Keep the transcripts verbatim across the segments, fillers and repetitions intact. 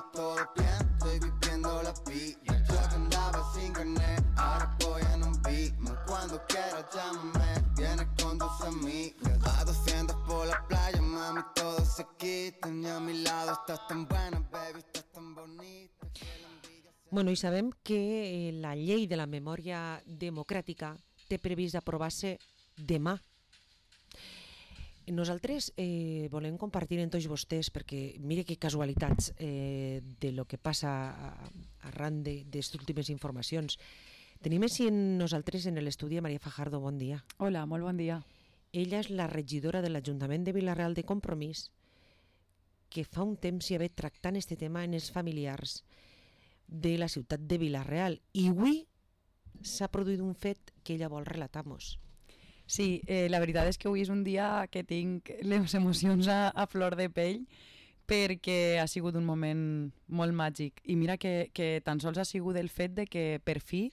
está todo bien, estoy viviendo la vida. Yo que andaba sin carnet, ahora voy en un Beamer. Cuando quieras llámame, vienes con tus amigas. A doscientos por la playa, mami, todo se quita. Y a mi lado estás tan buena, baby, estás tan bonita. Bueno, i sabem que la llei de la memòria democràtica té previst aprovar-se demà. Nosaltres eh, volem compartir amb tots vostès, perquè mire que casualitats eh, de lo que passa arran d'aquestes últimes informacions. Tenim així en nosaltres en l'estudi Maria Fajardo, bon dia. Hola, molt bon dia. Ella és la regidora de l'Ajuntament de Vila-real de Compromís, que fa un temps hi ha fet tractant aquest tema en els familiars de la ciutat de Vila-real. I avui s'ha produït un fet que ella vol relatar-nos. Sí, eh, la veritat és que avui és un dia que tinc les emocions a, a flor de pell, perquè ha sigut un moment molt màgic. I mira que, que tan sols ha sigut el fet de que per fi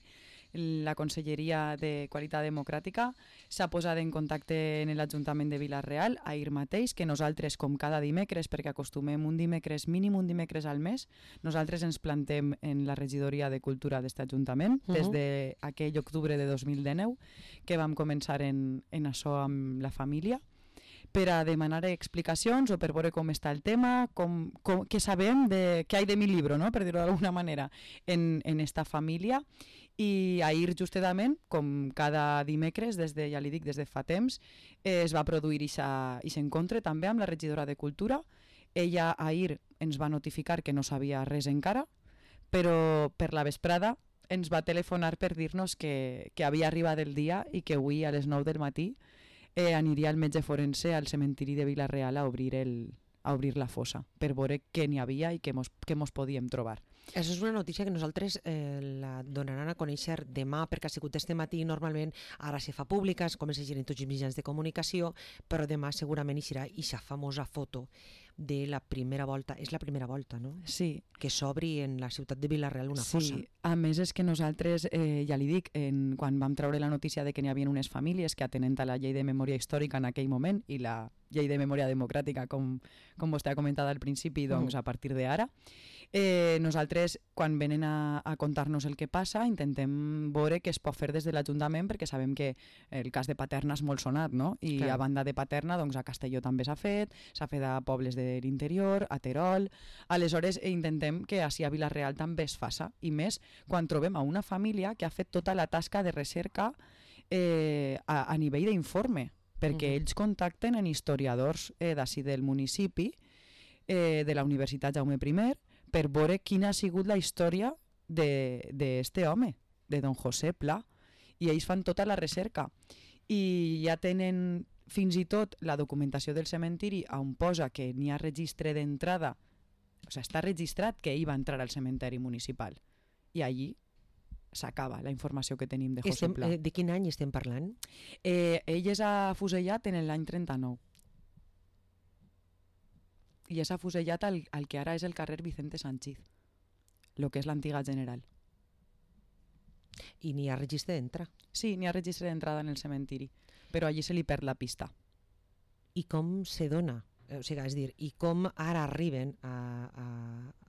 la Conselleria de Qualitat Democràtica s'ha posat en contacte en l'Ajuntament de Vila-real ahir mateix, que nosaltres, com cada dimecres, perquè acostumem un dimecres, mínim un dimecres al mes, nosaltres ens plantem en la regidoria de Cultura d'aquest Ajuntament, uh-huh. des d'aquell octubre de dos mil dinou, que vam començar en, en això amb la família, per a demanar explicacions o per veure com està el tema, com, com, què sabem, de, què hi ha de mi llibre, no? Per dir-ho d'alguna manera, en, en esta família. I ahir justament, com cada dimecres, des de, ja li dic, des de fa temps, eh, es va produir aquest encontre també amb la regidora de Cultura. Ella ahir ens va notificar que no sabia res encara, però per la vesprada ens va telefonar per dir-nos que, que havia arribat el dia i que avui a les nou del matí Eh, aniria el metge forense al cementiri de Vila-real a obrir, el, a obrir la fossa per veure què n'hi havia i què mos, què mos podíem trobar. Això és una notícia que nosaltres eh, la donaran a conèixer demà, perquè ha sigut este matí, normalment ara se fa pública, es comença a llegir en tots els mitjans de comunicació, però demà segurament hi serà aquesta famosa foto de la primera volta, és la primera volta, no? Sí. Que s'obri en la ciutat de Vila-real una fossa. Sí, a més és que nosaltres, eh, ja li dic, en, quan vam treure la notícia de que n'hi havia unes famílies que atenent a la llei de memòria històrica en aquell moment i la llei de memòria democràtica, com, com vostè ha comentat al principi, doncs a partir d'ara, eh, nosaltres, quan venen a, a contar-nos el que passa, intentem veure què es pot fer des de l'Ajuntament, perquè sabem que el cas de Paterna és molt sonat, no? I clar, a banda de Paterna, doncs a Castelló també s'ha fet, s'ha fet a pobles de l'interior, a Terol. Aleshores, intentem que així a Vila-real també es faça, i més quan trobem a una família que ha fet tota la tasca de recerca eh, a, a nivell d'informe, perquè uh-huh. ells contacten en historiadors eh, d'ací del municipi, eh, de la Universitat Jaume I, per veure quina ha sigut la història d'este home, de don José Pla, i ells fan tota la recerca. I ja tenen fins i tot la documentació del cementiri on posa que n'hi ha registre d'entrada, o sigui, està registrat que ell va entrar al cementeri municipal, i allí s'acaba la informació que tenim de José estem, Pla. Eh, de quin any estem parlant? Eh, ell és afusellat en l'any trenta-nou. I és afusellat al, al que ara és el carrer Vicente Sanchiz, el que és l'antiga General. I n'hi ha registre d'entrada? Sí, n'hi ha registre d'entrada en el cementiri, però allí se li perd la pista. I com se dona? O sigui, és dir, i com ara arriben a, a,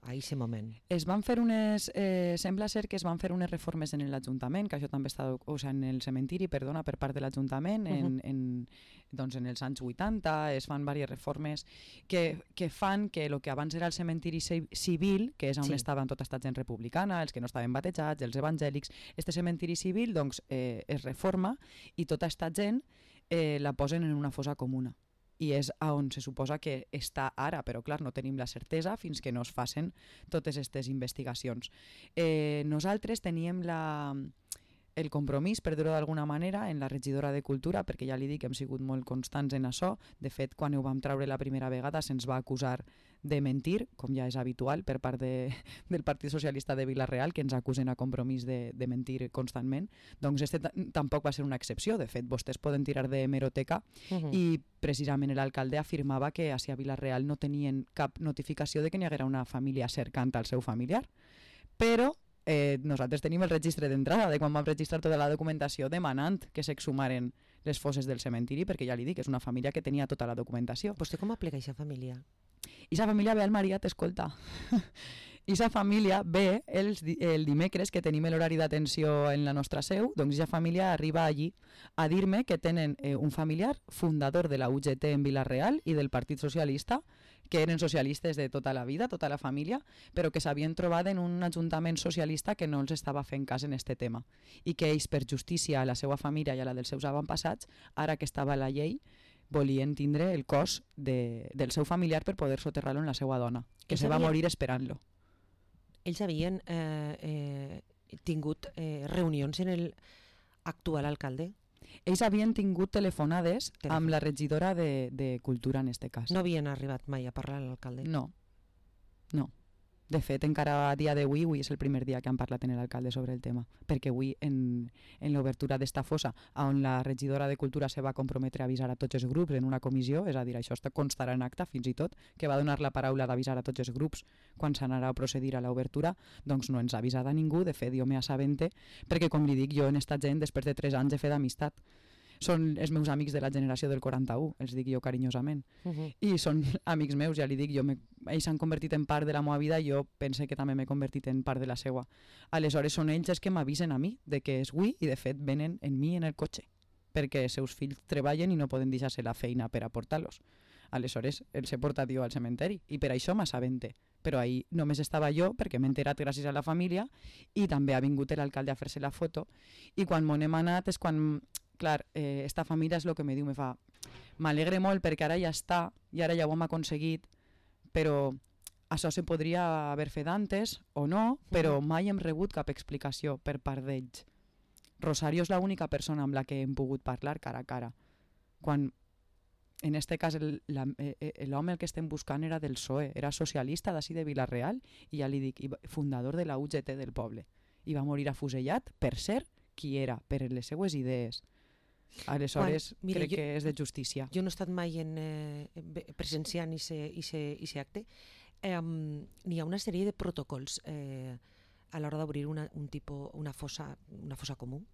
a aquest moment? Es van fer unes, eh, sembla ser que es van fer unes reformes en l'Ajuntament, que això també està, o sigui, en el cementiri, perdona, per part de l'Ajuntament, en, uh-huh. en, doncs en els anys vuitanta, es fan diverses reformes que, que fan que el que abans era el cementiri civil, que és on sí. estaven tota esta gent republicana, els que no estaven batejats, els evangèlics, este cementiri civil doncs, eh, es reforma i tota esta gent eh, la posen en una fossa comuna. I és on se suposa que està ara, però clar, no tenim la certesa fins que no es facin totes aquestes investigacions. Eh, nosaltres teníem la, el compromís, per dir-ho d'alguna manera, en la regidora de Cultura, perquè ja li dic que hem sigut molt constants en això. De fet, quan ho vam treure la primera vegada se'ns va acusar de mentir, com ja és habitual per part de, del Partit Socialista de Vila-real, que ens acusen a Compromís de, de mentir constantment. Doncs este tampoc va ser una excepció. De fet, vostès poden tirar de hemeroteca uh-huh. i precisament l'alcalde afirmava que a Vila-real no tenien cap notificació de que n'hi haguera una família cercant al seu familiar. Però eh, nosaltres tenim el registre d'entrada de quan vam registrar tota la documentació demanant que s'exhumaren les fosses del cementiri, perquè ja li dic, és una família que tenia tota la documentació. Vostè com aplica aquesta família? I sa família ve al Maria, t'escolta. i sa família ve els, el dimecres que tenim l'horari d'atenció en la nostra seu, doncs ja família arriba allí a dir-me que tenen eh, un familiar fundador de la U G T en Vila-real i del Partit Socialista, que eren socialistes de tota la vida, tota la família, però que s'havien trobat en un ajuntament socialista que no els estava fent cas en este tema i que ells, per justícia a la seva família i a la dels seus avantpassats, ara que estava la llei, volien tindre el cos de, del seu familiar per poder soterrar-lo en la seva dona, que Ells se va havien- morir esperant-lo. Ells havien eh, eh, tingut eh, reunions en el actual alcalde? Ells havien tingut telefonades Telefon. amb la regidora de, de Cultura en este cas. No havien arribat mai a parlar amb l'alcalde? No, no. De fet, encara a dia d'avui, avui és el primer dia que han parlat en l'alcalde sobre el tema, perquè avui en, en l'obertura d'esta fossa, on la regidora de Cultura se va comprometre a avisar a tots els grups en una comissió, és a dir, això està constarà en acta fins i tot, que va donar la paraula d'avisar a tots els grups quan s'anarà a procedir a l'obertura, doncs no ens ha avisat a ningú, de fet jo me assabente, perquè com li dic jo en esta gent, després de tres anys he fet amistat. Són els meus amics de la generació del quaranta-u, els dic jo carinyosament. Uh -huh. I són amics meus, ja li dic, jo me, ells s'han convertit en part de la meva vida i jo pense que també m'he convertit en part de la seva. Aleshores són ells els que m'avisen a mi de que és avui i de fet venen en mi en el cotxe, perquè els seus fills treballen i no poden deixar-se la feina per a portar-los. Aleshores els he portat jo al cementeri i per això m'assabente. Però ahir només estava jo perquè m'he enterat gràcies a la família i també ha vingut l'alcalde a fer-se la foto i quan m'on hem anat és quan... Clar, eh, esta família és el que me diu, me fa, m'alegre molt perquè ara ja està i ara ja ho hem aconseguit, però això se podria haver fet antes o no, però mai hem rebut cap explicació per part d'ells. Rosario és l'única persona amb la que hem pogut parlar cara a cara. Quan, en este cas, el, la, eh, l'home el que estem buscant era del P S O E, era socialista d'ací de Vila-real i ja li dic, fundador de la U G T del poble. I va morir afusellat per ser qui era, per les seues idees. Aleshores, Quan, mira, crec jo, que és de justícia. Jo no he estat mai en, eh, presenciant aquest acte. Eh, N'hi ha una sèrie de protocols eh, a l'hora d'obrir una, un tipus, una, fossa, una fossa comú.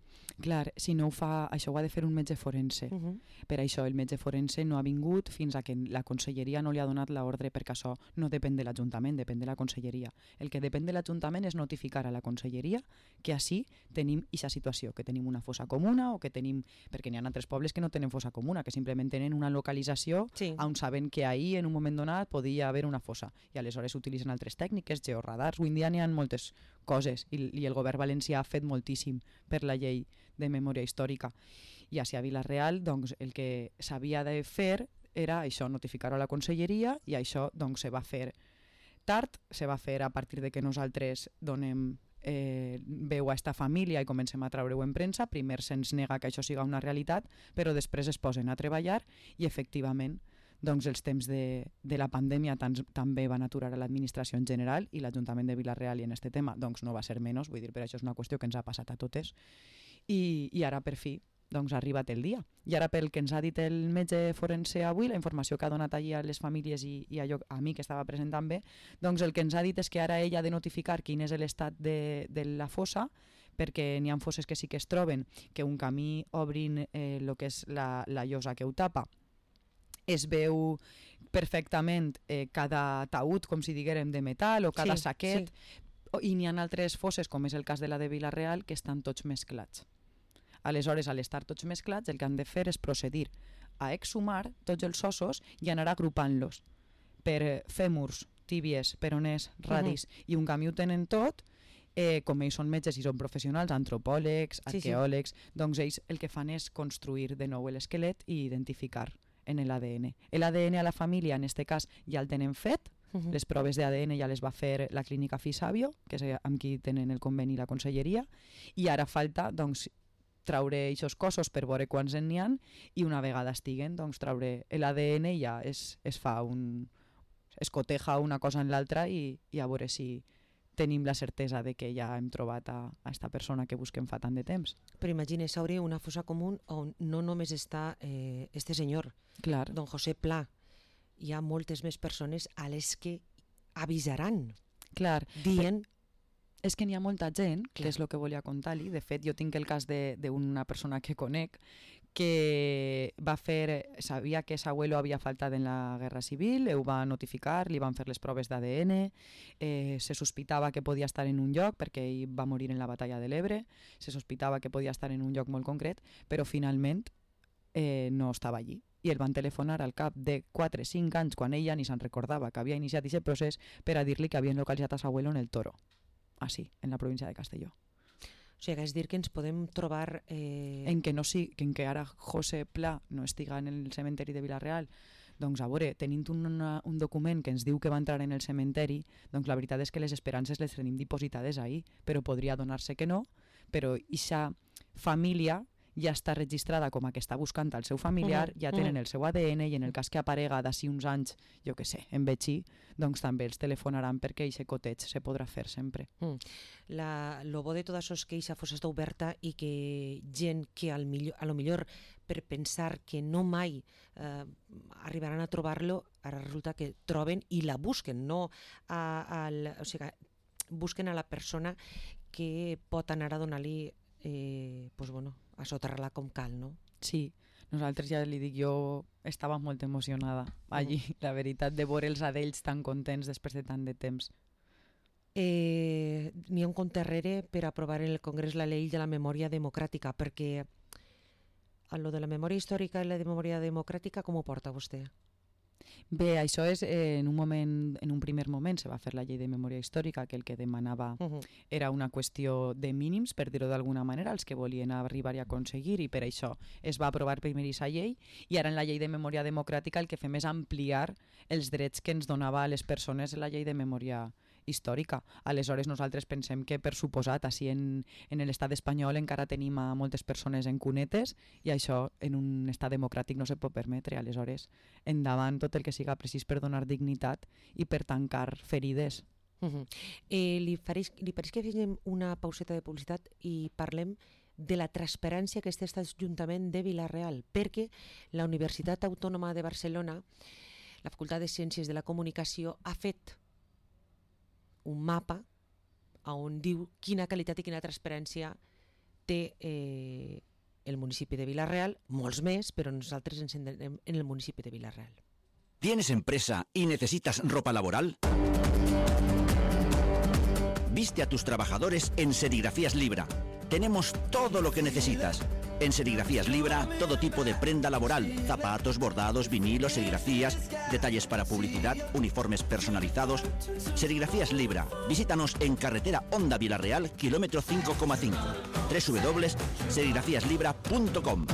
Clar, si no ho fa, això ho ha de fer un metge forense. Uh -huh. Per això el metge forense no ha vingut fins a que la conselleria no li ha donat l'ordre, perquè això no depèn de l'Ajuntament, depèn de la conselleria. El que depèn de l'Ajuntament és notificar a la conselleria que així tenim aquesta situació, que tenim una fossa comuna o que tenim... Perquè n'hi ha altres pobles que no tenen fossa comuna, que simplement tenen una localització Sí. on saben que ahir en un moment donat podia haver una fossa i aleshores utilitzen altres tècniques, georradars. Avui en dia n'hi ha moltes coses i, i el govern valencià ha fet moltíssim per la llei de memòria històrica. I així a Vila-real doncs, el que s'havia de fer era això, notificar-ho a la conselleria i això doncs, se va fer tard, se va fer a partir de que nosaltres donem eh, veu a esta família i comencem a treure-ho en premsa. Primer se'ns nega que això siga una realitat, però després es posen a treballar i efectivament doncs els temps de, de la pandèmia tans, també van aturar a l'administració en general i l'Ajuntament de Vila-real i en este tema doncs no va ser menys, vull dir, per això és una qüestió que ens ha passat a totes i, i ara per fi doncs ha arribat el dia. I ara pel que ens ha dit el metge forense avui, la informació que ha donat allí a les famílies i, i a, jo, a mi que estava present també, doncs el que ens ha dit és que ara ella ha de notificar quin és l'estat de, de la fossa, perquè n'hi ha fosses que sí que es troben, que un camí obrin eh, el que és la, la llosa que ho tapa, es veu perfectament eh, cada taüt, com si diguérem, de metal o cada Sí, saquet, sí. i n'hi ha altres fosses, com és el cas de la de Vila-real, que estan tots mesclats. Aleshores, al estar tots mesclats, el que han de fer és procedir a exhumar tots els ossos i anar agrupant-los per fèmurs, tíbies, peroners, radis, uh -huh. i un camí ho tenen tot, eh, com ells són metges i són professionals, antropòlegs, arqueòlegs, sí, sí. doncs ells el que fan és construir de nou l'esquelet i identificar en l'A D N. L'A D N a la família, en aquest cas, ja el tenen fet, uh -huh. les proves d'A D N ja les va fer la clínica Fisabio, que és amb qui tenen el conveni i la conselleria, i ara falta, doncs, traure aquests cossos per veure quants en n'hi ha i una vegada estiguen, doncs traure l'A D N i ja es, es fa un... es coteja una cosa en l'altra i, i a veure si tenim la certesa de que ja hem trobat a, a esta persona que busquem fa tant de temps. Però imagina, s'hauria una fossa comú on no només està eh, este senyor, Clar. don José Pla. Hi ha moltes més persones a les que avisaran, Clar. dient... És que n'hi ha molta gent, Clar. que és el que volia contar-li. De fet, jo tinc el cas d'una persona que conec que va fer, sabia que s'abuelo havia faltat en la Guerra Civil, ho va notificar, li van fer les proves d'A D N, eh, se sospitava que podia estar en un lloc, perquè ell va morir en la batalla de l'Ebre, se sospitava que podia estar en un lloc molt concret, però finalment eh, no estava allí. I el van telefonar al cap de quatre o cinc anys, quan ella ni se'n recordava que havia iniciat aquest procés, per a dir-li que havien localitzat a s'abuelo en el Toro, així, en la província de Castelló. O sigui, és dir que ens podem trobar... Eh... En què no sí, que en què ara José Pla no estiga en el cementeri de Vila-real, doncs a veure, tenint una, un document que ens diu que va entrar en el cementeri, doncs la veritat és que les esperances les tenim dipositades ahí, però podria donar-se que no, però aquesta família ja està registrada com a que està buscant el seu familiar, uh-huh, ja tenen uh-huh. el seu A D N i en el cas que aparega d'ací uns anys, jo què sé, en vegí, doncs també els telefonaran perquè aquest coteig se podrà fer sempre. Mm. La, lo bo de tot això és que aquesta fossa està oberta i que gent que al millor, a lo millor per pensar que no mai eh, arribaran a trobar-lo, ara resulta que troben i la busquen, no a, al, o sigui, busquen a la persona que pot anar a donar-li eh, pues bueno, a soterrar-la com cal, no? Sí, nosaltres ja li dic, jo estava molt emocionada allí, uh-huh. la veritat, de veure els adells tan contents després de tant de temps. Eh, N'hi ha un compte darrere per aprovar en el Congrés la llei de la memòria democràtica, perquè a lo de la memòria històrica i la de memòria democràtica, com ho porta vostè? Bé, això és eh, en un moment, en un primer moment se va fer la llei de memòria històrica, que el que demanava uh-huh. era una qüestió de mínims, per dir-ho d'alguna manera, els que volien arribar i aconseguir, i per això es va aprovar primer aquesta llei, i ara en la llei de memòria democràtica el que fem és ampliar els drets que ens donava a les persones en la llei de memòria històrica. Aleshores nosaltres pensem que, per suposat, així en, en l'estat espanyol encara tenim a moltes persones en cunetes i això en un estat democràtic no se pot permetre. Aleshores, endavant tot el que siga precís per donar dignitat i per tancar ferides. Uh-huh. eh, li, fareix, li pareix que fem una pauseta de publicitat i parlem de la transparència que té aquest Ajuntament de Vila-real, perquè la Universitat Autònoma de Barcelona, la Facultat de Ciències de la Comunicació, ha fet un mapa on diu quina qualitat i quina transparència té eh, el municipi de Vila-real, molts més, però nosaltres ens centrem en el municipi de Vila-real. ¿Tienes empresa y necesitas ropa laboral? Viste a tus trabajadores en Serigrafías Libra. Tenemos todo lo que necesitas. En Serigrafías Libra, todo tipo de prenda laboral, zapatos, bordados, vinilos, serigrafías, detalles para publicidad, uniformes personalizados. Serigrafías Libra. Visítanos en carretera Honda Vila-real, kilómetro cinco coma cinco. doble u doble u doble u punto serigrafías libra punto com.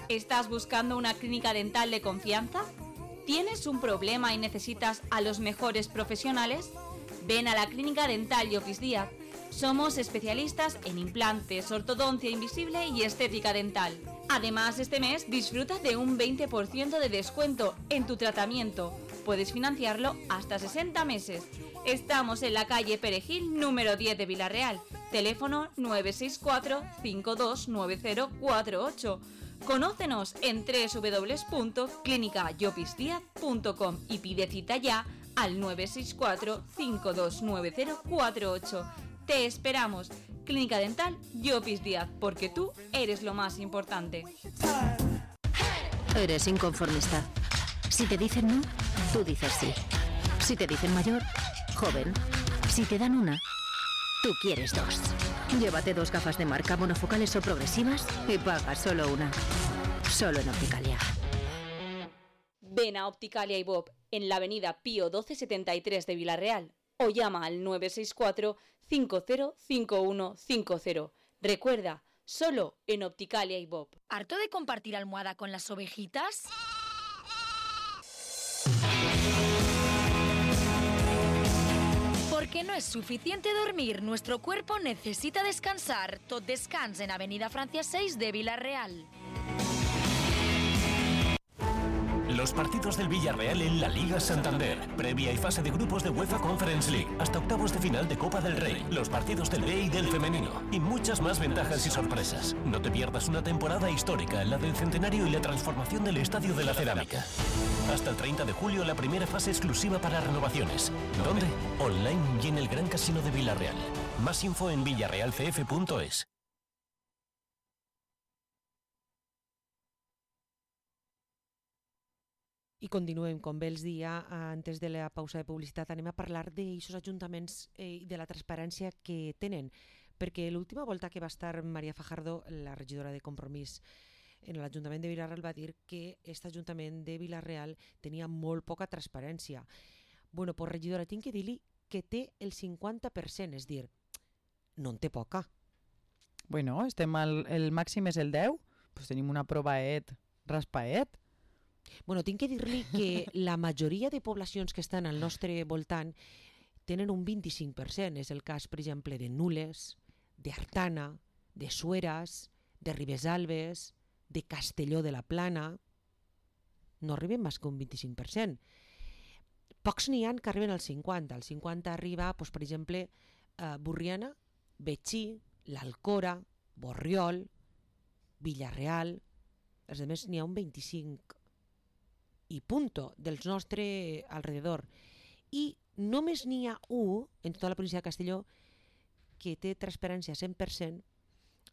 ¿Estás buscando una clínica dental de confianza? ¿Tienes un problema y necesitas a los mejores profesionales? Ven a la Clínica Dental Llopis Díaz. Somos especialistas en implantes, ortodoncia invisible y estética dental. Además, este mes disfruta de un veinte por ciento de descuento en tu tratamiento. Puedes financiarlo hasta sesenta meses. Estamos en la calle Perejil, número diez de Vila-real. Teléfono nueve seis cuatro, cinco dos nueve cero cuatro ocho. Conócenos en doble u doble u doble u punto clínica llopis díaz punto com y pide cita ya al nueve seis cuatro, cinco dos nueve cero cuatro ocho. Te esperamos. Clínica Dental Llopis Díaz, porque tú eres lo más importante. Eres inconformista. Si te dicen no, tú dices sí. Si te dicen mayor, joven. Si te dan una, tú quieres dos. Llévate dos gafas de marca monofocales o progresivas y paga solo una. Solo en Opticalia. Ven a Opticalia y Bob en la avenida Pío doce setenta y tres de Vila-real o llama al nueve seis cuatro, cinco cero cinco uno cinco cero. Recuerda, solo en Opticalia y Bob. ¿Harto de compartir almohada con las ovejitas? Porque no es suficiente dormir, nuestro cuerpo necesita descansar. Tot descans en Avenida Francia seis de Vila-real. Los partidos del Villarreal en la Liga Santander, previa y fase de grupos de UEFA Conference League, hasta octavos de final de Copa del Rey, los partidos del B y del femenino, y muchas más ventajas y sorpresas. No te pierdas una temporada histórica, la del centenario y la transformación del Estadio de la Cerámica. Hasta el treinta de julio la primera fase exclusiva para renovaciones. ¿Dónde? Online y en el Gran Casino de Villarreal. Más info en villarreal c f punto es. I continuem, com bé els dia, antes de la pausa de publicitat, anem a parlar d'aquests ajuntaments i eh, de la transparència que tenen, perquè l'última volta que va estar Maria Fajardo, la regidora de Compromís en l'Ajuntament de Vila-real, va dir que aquest Ajuntament de Vila-real tenia molt poca transparència. Bueno, pues regidora, tinc que dir-li que té el cinquanta per cent, és dir, no en té poca. Bueno, estem al, el màxim és el deu, pues tenim una provaet, raspaet. Bueno, tinc que dir-li que la majoria de poblacions que estan al nostre voltant tenen un vint-i-cinc per cent. És el cas, per exemple, de Nules, d'Artana, de Sueras, de Ribesalbes, de Castelló de la Plana. No arriben més que un vint-i-cinc per cent. Pocs n'hi ha que arriben al cinquanta. Al cinquanta arriba, doncs, per exemple, a Borriana, Betxí, l'Alcora, Borriol, Vila-real. Els altres n'hi ha un vint-i-cinc i punto dels nostre alrededor. I només n'hi ha un en tota la província de Castelló que té transparència cent per cent,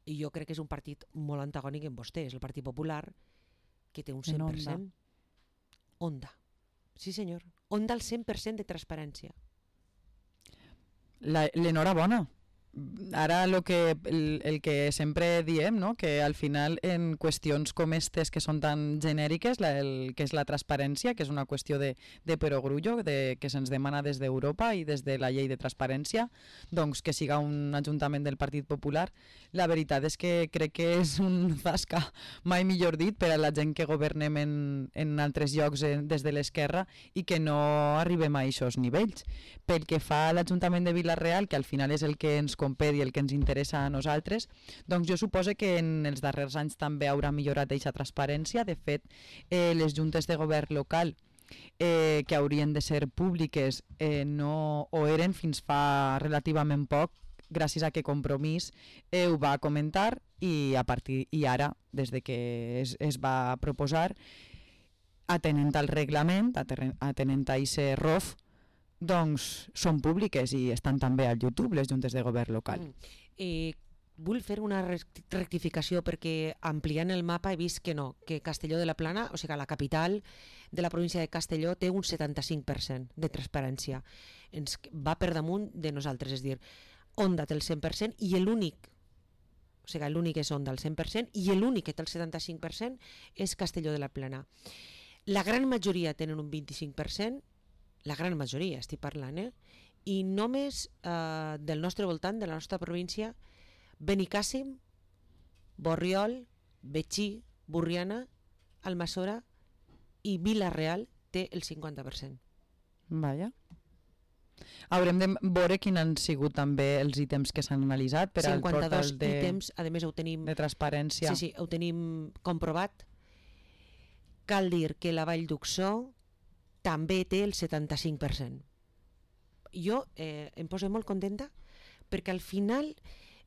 i jo crec que és un partit molt antagònic en vostè, és el Partit Popular, que té un cent per cent. Onda. Sí, senyor. Onda al cent per cent de transparència. L'enhorabona. Ara lo que, el, el que sempre diem, no? Que al final en qüestions com aquestes que són tan genèriques, la, el, que és la transparència, que és una qüestió de, de perogrullo, de, que se'ns demana des d'Europa i des de la llei de transparència, doncs que siga un ajuntament del Partit Popular, la veritat és que crec que és un zasca, mai millor dit, per a la gent que governem en, en altres llocs en, des de l'esquerra i que no arribem a aquests nivells. Pel que fa a l'Ajuntament de Vila-real, que al final és el que ens compet i el que ens interessa a nosaltres, doncs jo suposo que en els darrers anys també haurà millorat aquesta transparència. De fet, eh, les juntes de govern local eh, que haurien de ser públiques eh, no ho eren fins fa relativament poc, gràcies a que Compromís eh, ho va comentar i, a partir, i ara, des de que es, es va proposar, atenent al reglament, atenent a aquest R O F, doncs són públiques i estan també al YouTube, les juntes de govern local. Mm. Eh, vull fer una rectificació perquè ampliant el mapa he vist que no, que Castelló de la Plana, o sigui, la capital de la província de Castelló té un setanta-cinc per cent de transparència. Ens va per damunt de nosaltres, és dir, Onda té el cent per cent i l'únic, o sigui, l'únic és Onda el cent per cent i l'únic que té el setanta-cinc per cent és Castelló de la Plana. La gran majoria tenen un vint-i-cinc per cent, la gran majoria estic parlant, eh? I només eh, del nostre voltant, de la nostra província, Benicàssim, Borriol, Betxí, Borriana, Almassora i Vila-real té el cinquanta per cent. Vaja. Haurem de veure quins han sigut també els ítems que s'han analitzat per al cinquanta-dos portal de, ítems, a més ho tenim, de transparència. Sí, sí, ho tenim comprovat. Cal dir que la Vall d'Uxó també té el setanta-cinc per cent. Jo eh, em poso molt contenta perquè al final,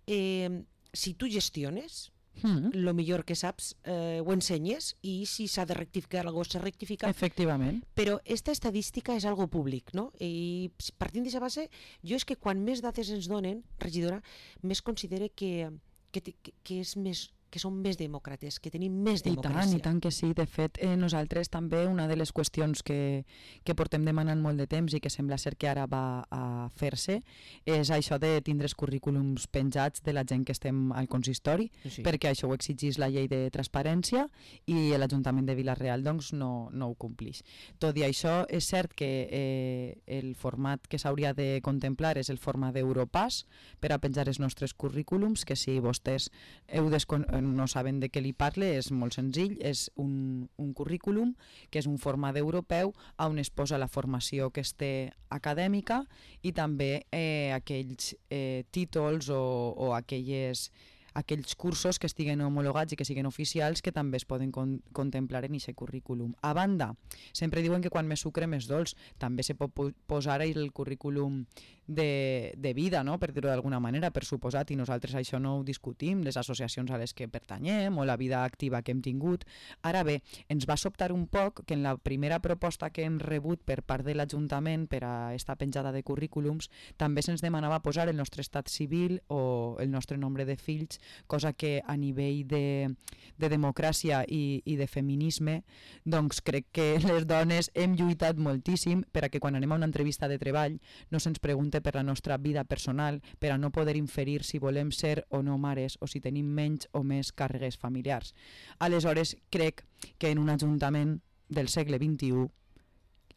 eh, si tu gestiones, mm. lo millor que saps eh, ho ensenyes i si s'ha de rectificar alguna cosa, s'ha rectificat. Efectivament. Però esta estadística és algo públic, no? I partint d'aquesta base, jo és que quan més dades ens donen, regidora, més considere que, que, que, que és més que som més demòcrates, que tenim més democràcia. I tant, i tant que sí. De fet, eh, nosaltres també una de les qüestions que, que portem demanant molt de temps i que sembla ser que ara va a fer-se és això de tindre els currículums penjats de la gent que estem al consistori, sí. Perquè això ho exigís la llei de transparència i l'Ajuntament de Vila-real doncs, no, no ho complix. Tot i això, és cert que eh, el format que s'hauria de contemplar és el format d'Europass per a penjar els nostres currículums, que si vostès heu desconegut no saben de què li parle, és molt senzill, és un, un currículum que és un format europeu on es posa la formació que es té acadèmica i també eh, aquells eh, títols o, o aquelles aquells cursos que estiguen homologats i que siguin oficials que també es poden con contemplar en aquest currículum. A banda, sempre diuen que quan més sucre més dolç, també se pot posar el currículum de, de vida, no? Per dir-ho d'alguna manera, per suposat, i nosaltres això no ho discutim, les associacions a les que pertanyem o la vida activa que hem tingut. Ara bé, ens va sobtar un poc que en la primera proposta que hem rebut per part de l'Ajuntament per a esta penjada de currículums també se'ns demanava posar el nostre estat civil o el nostre nombre de fills cosa que a nivell de, de democràcia i, i de feminisme, doncs crec que les dones hem lluitat moltíssim per a que quan anem a una entrevista de treball no se'ns pregunte per la nostra vida personal, per a no poder inferir si volem ser o no mares o si tenim menys o més càrregues familiars. Aleshores, crec que en un ajuntament del segle vint-i-u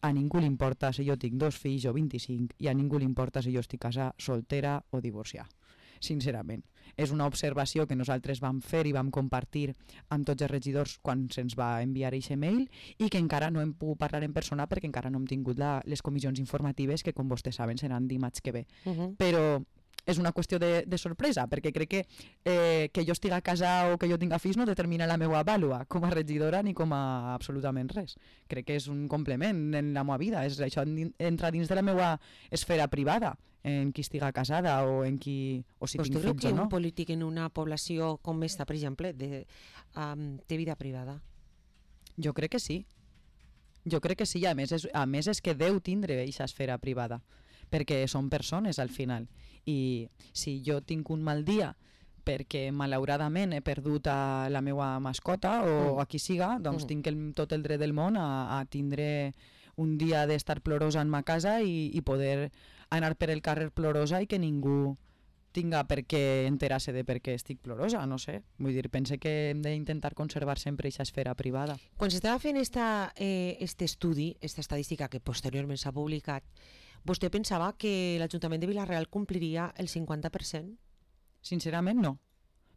a ningú li importa si jo tinc dos fills o vint-i-cinc i a ningú li importa si jo estic casada, soltera o divorciada. Sincerament, és una observació que nosaltres vam fer i vam compartir amb tots els regidors quan se'ns va enviar aquest mail i que encara no hem pogut parlar en persona perquè encara no hem tingut la, les comissions informatives que, com vostès saben, seran dimarts que ve. Uh-huh. Però és una qüestió de, de sorpresa, perquè crec que eh, que jo estigui a casa o que jo tinga fills no determina la meva vàlua com a regidora ni com a absolutament res. Crec que és un complement en la meva vida, és, això entra dins de la meva esfera privada, en qui estiga casada o en qui o si tinc fills o no. Vostè creu que un polític en una població com esta, per exemple, de, um, té vida privada? Jo crec que sí. Jo crec que sí, a més és, a més és que deu tindre aquesta esfera privada, perquè són persones al final. I si jo tinc un mal dia perquè malauradament he perdut a la meva mascota o mm. a qui siga, doncs mm. tinc el, tot el dret del món a, a tindre un dia d'estar plorosa en ma casa i, i poder anar per el carrer plorosa i que ningú tinga per què enterar-se de per què estic plorosa, no sé. Vull dir, pense que hem d'intentar conservar sempre aquesta esfera privada. Quan s'estava fent esta, eh, este estudi, esta estadística que posteriorment s'ha publicat, vostè pensava que l'Ajuntament de Vila-real compliria el cinquanta per cent? Sincerament no,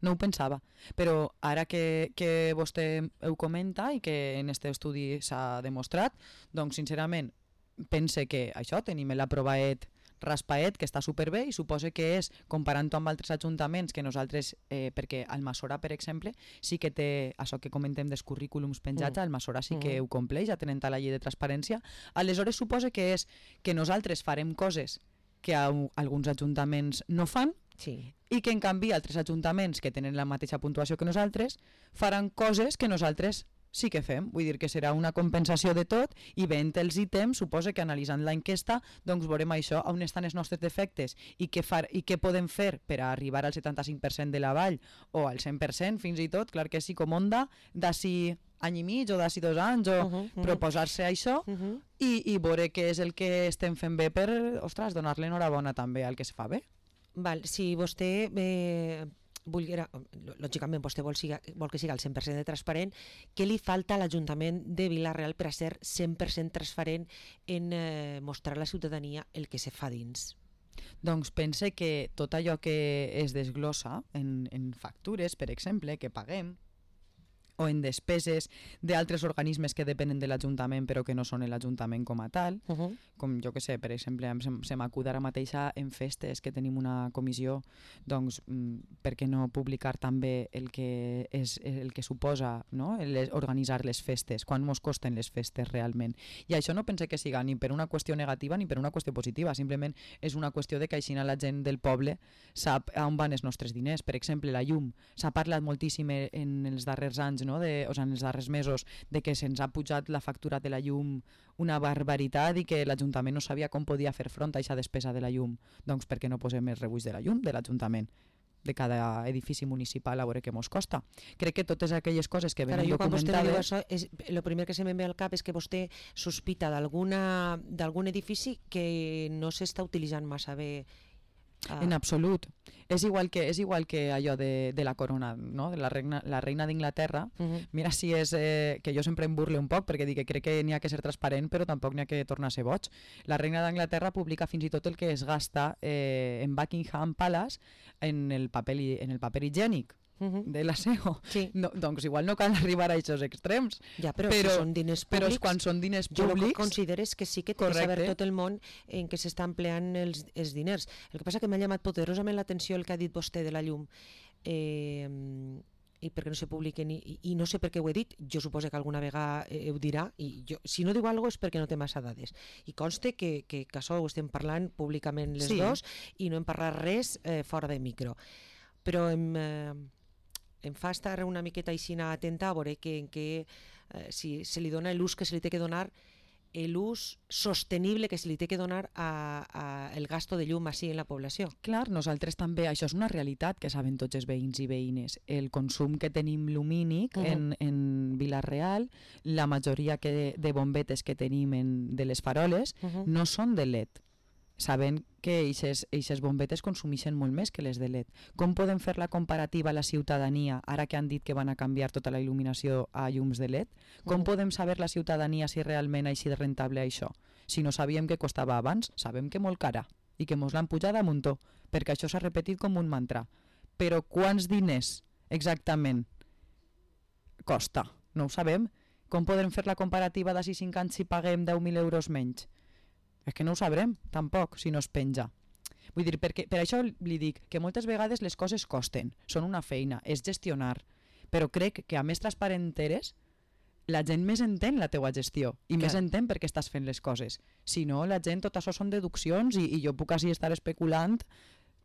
no ho pensava, però ara que, que vostè ho comenta i que en aquest estudi s'ha demostrat, doncs sincerament pense que això, tenim l'aprovaet raspaet, que està superbé i suposa que és, comparant-ho amb altres ajuntaments que nosaltres, eh, perquè Almassora, per exemple, sí que té això que comentem dels currículums penjats, mm. Almassora sí que mm. ho compleix, atenent a la llei de transparència, aleshores suposa que és que nosaltres farem coses que a, alguns ajuntaments no fan, sí. i que en canvi altres ajuntaments que tenen la mateixa puntuació que nosaltres faran coses que nosaltres sí que fem, vull dir que serà una compensació de tot i veient els ítems, suposa que analitzant l'enquesta doncs veurem això, on estan els nostres defectes i què, far, i què podem fer per a arribar al setanta-cinc per cent de la vall o al cent per cent fins i tot, clar que sí, com onda, d'ací any i mig o d'ací dos anys o uh -huh, uh -huh. proposar-se això uh -huh. i, i veure què és el que estem fent bé per, ostres, donar-li enhorabona també al que se fa bé. Val, si vostè... Eh... Volguera, lògicament vostè vol, siga, vol que sigui el cent per cent de transparent, què li falta a l'Ajuntament de Vila-real per a ser cent per cent transparent en eh, mostrar a la ciutadania el que se fa dins? Doncs pense que tot allò que es desglossa en, en factures, per exemple, que paguem, o en despeses d'altres organismes que depenen de l'Ajuntament però que no són l'Ajuntament com a tal, uh -huh. com jo que sé, per exemple, se, se m'acut ara mateixa en festes que tenim una comissió, doncs per què no publicar també el que, és, el que suposa, no? Les, organitzar les festes, quan mos costen les festes realment. I això no pense que siga ni per una qüestió negativa ni per una qüestió positiva, simplement és una qüestió de que així la gent del poble sap on van els nostres diners. Per exemple, la llum, s'ha parlat moltíssim en els darrers anys, no? De, o sigui, en els darrers mesos, de que se'ns ha pujat la factura de la llum una barbaritat i que l'Ajuntament no sabia com podia fer front a aquesta despesa de la llum. Doncs per què no posem els rebuix de la llum de l'Ajuntament, de cada edifici municipal, a veure què mos costa? Crec que totes aquelles coses que venen documentades... El primer que se me'n ve al cap és que vostè sospita d'algun edifici que no s'està utilitzant massa bé. Ah. En absolut. És igual que, és igual que allò de, de la corona, no? De la reina, la reina d'Inglaterra. Uh-huh. Mira si és... Eh, que jo sempre em burle un poc perquè dic que crec que n'hi ha que ser transparent però tampoc n'hi ha que tornar a ser boig. La reina d'Anglaterra publica fins i tot el que es gasta eh, en Buckingham Palace en el paper, en el paper higiènic. Uh-huh. De l'aseo. Sí. No, doncs igual no cal arribar a aquests extrems. Ja, però, però si són diners públics, però quan són diners jo públics... Jo el que considero és que sí que té que saber tot el món en què s'està empleant els, els diners. El que passa que m'ha llamat poderosament l'atenció el que ha dit vostè de la llum. Eh, i perquè no se publiquen i, i no sé per què ho he dit, jo suposo que alguna vegada eh, ho dirà i jo, si no diu alguna cosa és perquè no té massa dades i conste que, que, que això ho estem parlant públicament les sí. dos i no hem parlat res eh, fora de micro, però hem... Eh, em fa estar una miqueta aixina atenta a veure que, en que, eh, si se li dona l'ús que se li té que donar l'ús sostenible que se li té que donar a, a el gasto de llum així en la població. Clar, nosaltres també, això és una realitat que saben tots els veïns i veïnes. El consum que tenim lumínic uh -huh. en, en Vila-real, la majoria que, de bombetes que tenim en, de les faroles uh -huh. no són de L E D. Saben que aquestes bombetes consumeixen molt més que les de L E D. Com podem fer la comparativa a la ciutadania, ara que han dit que van a canviar tota la il·luminació a llums de L E D? Com podem saber la ciutadania si realment ha sigut rentable això? Si no sabíem que costava abans, sabem que molt cara i que mos l'han pujat a muntó, perquè això s'ha repetit com un mantra. Però quants diners exactament costa? No ho sabem. Com podem fer la comparativa d'ací cinc anys si paguem deu mil euros menys? És que no ho sabrem, tampoc, si no es penja. Vull dir, perquè, per això li dic que moltes vegades les coses costen, són una feina, és gestionar, però crec que a més transparent eres, la gent més entén la teua gestió i Clar. més entén per què estàs fent les coses. Si no, la gent, tot això són deduccions i, i jo puc així estar especulant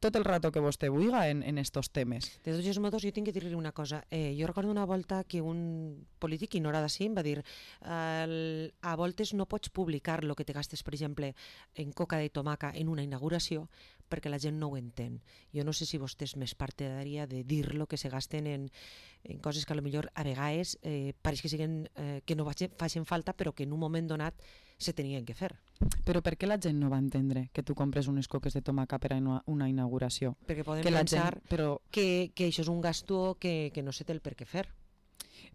tot el rato que vostè vulga en, en estos temes. De tots els modos, jo tinc que dir-li una cosa. Eh, jo recordo una volta que un polític, i no era d'ací, em va dir eh, a voltes no pots publicar el que te gastes, per exemple, en coca de tomaca en una inauguració perquè la gent no ho entén. Jo no sé si vostè és més partidària de dir lo que se gasten en, en coses que a lo millor a vegades eh, pareix que, siguen, eh, que no facin falta, però que en un moment donat se tenien que fer. Però per què la gent no va entendre que tu compres unes coques de tomaca per a una, una inauguració? Perquè podem que pensar gent, però... que, que això és un gasto que, que no se té el per què fer.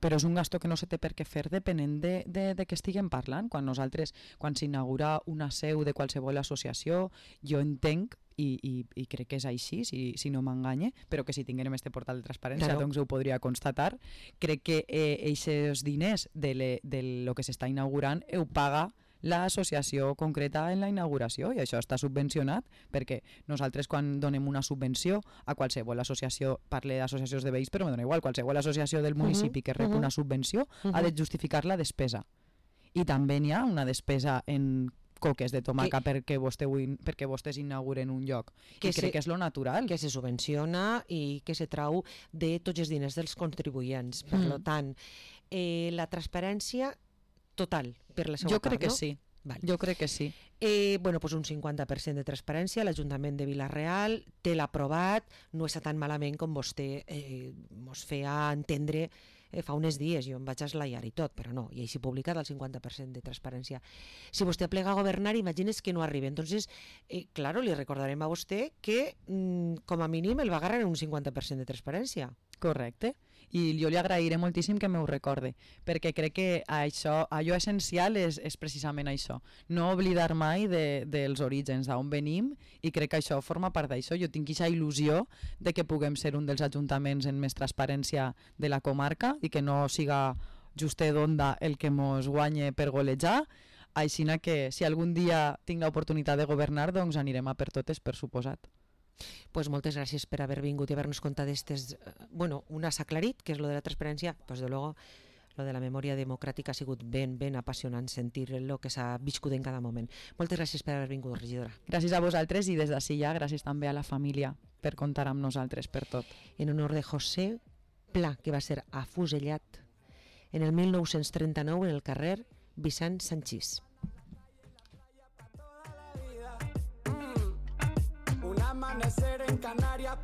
Però és un gasto que no se té per què fer depenent de, de, de què estiguem parlant. Quan nosaltres, quan s'inaugura una seu de qualsevol associació, jo entenc I, i, i crec que és així, si, si no m'enganye, però que si tinguérem este portal de transparència claro. doncs ho podria constatar. Crec que aquests eh, diners de, le, de lo que s'està inaugurant ho paga l'associació concreta en la inauguració i això està subvencionat perquè nosaltres quan donem una subvenció a qualsevol associació, parle d'associacions de veïns però me dona igual, qualsevol associació del municipi que rep uh -huh. una subvenció uh -huh. ha de justificar la despesa i també n'hi ha una despesa en coques de tomaca que, perquè, vostè, perquè vostès inauguren un lloc que i crec se, que és lo natural. Que se subvenciona i que se trau de tots els diners dels contribuents. Per mm. tant, eh, la transparència total per la seva jo part, crec que no? sí. Vale. Jo crec que sí. Eh, bueno, pues un cinquanta per cent de transparència, l'Ajuntament de Vila-real té l'aprovat, no està tan malament com vostè eh, mos feia entendre eh, fa uns dies, jo em vaig eslaiar i tot, però no, i així publicat el cinquanta per cent de transparència. Si vostè plega a governar, imagines que no arriba. Entonces, eh, claro, li recordarem a vostè que mm, com a mínim el va agarrar en un cinquanta per cent de transparència. Correcte. I jo li agrairé moltíssim que m'ho recorde, perquè crec que això, allò essencial és, és precisament això, no oblidar mai de, dels orígens, d'on venim, i crec que això forma part d'això. Jo tinc aquesta il·lusió de que puguem ser un dels ajuntaments en més transparència de la comarca i que no siga Justet d'Onda el que mos guanye per golejar, així que si algun dia tinc l'oportunitat de governar, doncs anirem a per totes, per suposat. Pues moltes gràcies per haver vingut i haver-nos contat d'estes... Bueno, una s'ha aclarit, que és lo de la transparència, pues de luego lo de la memòria democràtica ha sigut ben, ben apassionant sentir el que s'ha viscut en cada moment. Moltes gràcies per haver vingut, regidora. Gràcies a vosaltres i des d'ací ja gràcies també a la família per comptar amb nosaltres per tot. En honor de José Pla, que va ser afusellat en el mil nou-cents trenta-nou en el carrer Vicent Sanchís. Amanecer en Canarias.